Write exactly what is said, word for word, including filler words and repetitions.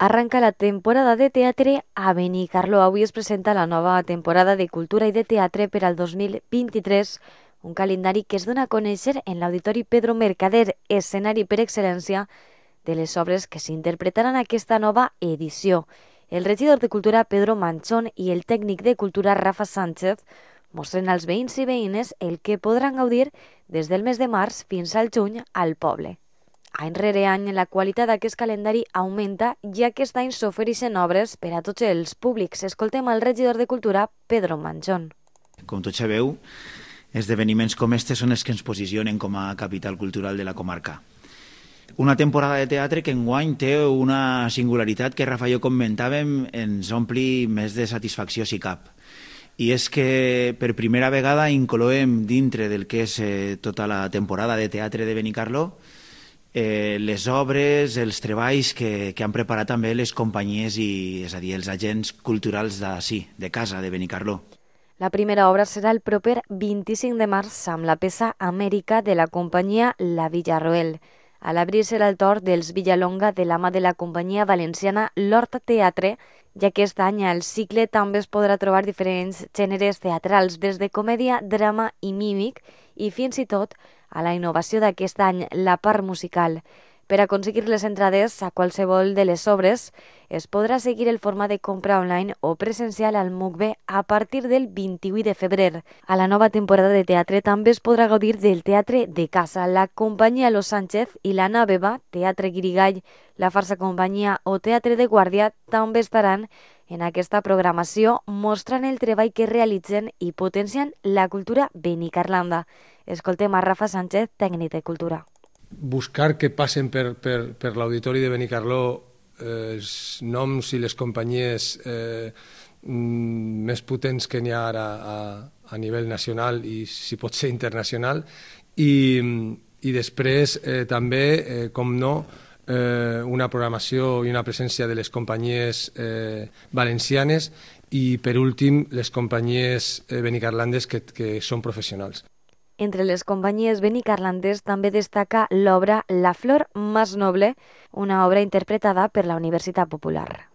Arranca la temporada de teatre a Benicarló. Avui es presenta la nova temporada de Cultura i de Teatre per al dos mil vint-i-tres, un calendari que es dona a conèixer en l'Auditori Pedro Mercader, escenari per excel·lència de les obres que s'interpretaran en aquesta nova edició. El regidor de Cultura, Pedro Manchón, i el tècnic de Cultura, Rafa Sánchez, mostren als veïns i veïnes el que podran gaudir des del mes de març fins al juny al poble. Any rere any, la qualitat d'aquest calendari augmenta i aquest any s'ofereixen obres per a tots els públics. Escoltem al regidor de Cultura, Pedro Manchón. Com tots sabeu, esdeveniments com este són els que ens posicionen com a capital cultural de la comarca. Una temporada de teatre que enguany té una singularitat que Rafa i jo comentàvem, ens ompli més de satisfacció si cap. I és que per primera vegada incloem dintre del que és eh, tota la temporada de teatre de Benicarló eh, les obres, els treballs que, que han preparat també les companyies i, és a dir, els agents culturals d'ací, de casa, de Benicarló. La primera obra serà el proper vint-i-cinc de març amb la peça Amèrica de la companyia La Villarroel. A l'abril serà el torn dels Villalonga de la mà de la companyia valenciana l'Horta Teatre, i aquest any al cicle també es podrà trobar diferents gèneres teatrals, des de comèdia, drama i mímic, i fins i tot a la innovació d'aquest any, la part musical. Per aconseguir les entrades a qualsevol de les obres, es podrà seguir el format de compra online o presencial al M U C B a partir del vint-i-vuit de febrer. A la nova temporada de teatre també es podrà gaudir del teatre de casa. La companyia Los Sánchez i la Nàveva, Teatre Guirigall, la Farsa Companyia o Teatre de Guàrdia també estaran en aquesta programació, mostrant el treball que realitzen i potenciant la cultura benicarlanda. Escoltem a Rafa Sánchez, tècnic de Cultura. Buscar que passen per, per, per l'Auditori de Benicarló eh, els noms i les companyies eh, més potents que n'hi ha ara a, a nivell nacional i, si pot ser, internacional, i, i després eh, també, eh, com no, eh, una programació i una presència de les companyies eh, valencianes i, per últim, les companyies eh, benicarlandes que, que són professionals. Entre les companyies benicarlandes també destaca l'obra La flor más noble, una obra interpretada per la Universitat Popular.